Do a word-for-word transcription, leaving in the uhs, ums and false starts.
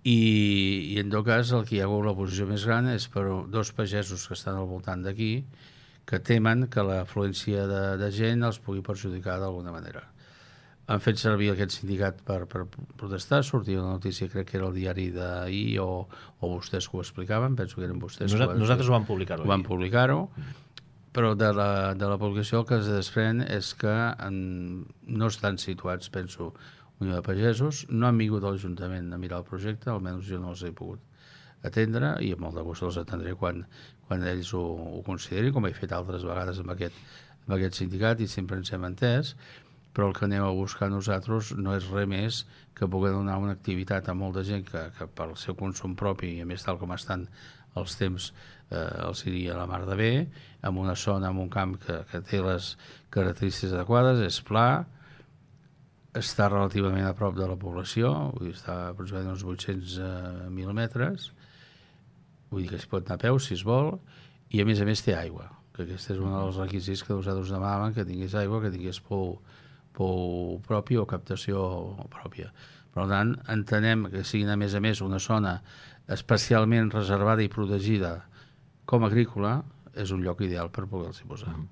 i, i en tot cas el que hi ha hagut la posició més gran és per dos pagesos que estan al voltant d'aquí que temen que l'afluència de, de gent els pugui perjudicar d'alguna manera. Han fet servir aquest sindicat per, per protestar, sortia una notícia, crec que era el diari d'ahir o, o vostès que ho explicaven, penso que eren vostès Nosaltres, que ho nosaltres ho vam publicar-ho. Ho van publicar-ho, però de la, de la publicació el que es desprèn és que en, no estan situats, penso, Unió de Pagesos, no han vingut a l'Ajuntament a mirar el projecte, almenys jo no els he pogut atendre, i amb molt de gust els atendré quan, quan ells ho, ho considerin, com he fet altres vegades amb aquest, amb aquest sindicat, i sempre ens hem entès, però el que anem a buscar nosaltres no és res més que poder donar una activitat a molta gent que, que pel seu consum propi, i a més tal com estan els temps, eh, els iria a la mar de bé, en una zona, en un camp que, que té les característiques adequades, és pla, està relativament a prop de la població, vull dir, està aproximadament uns vuit-cents mil metres, vull dir que es pot anar a peu si es vol, i a més a més té aigua, que aquest és un dels requisits que nosaltres demanàvem, que tingués aigua, que tingués pou, pou propi o captació pròpia. Per tant, entenem que siguin a més a més una zona especialment reservada i protegida com a agrícola, és un lloc ideal per poder-s'hi posar.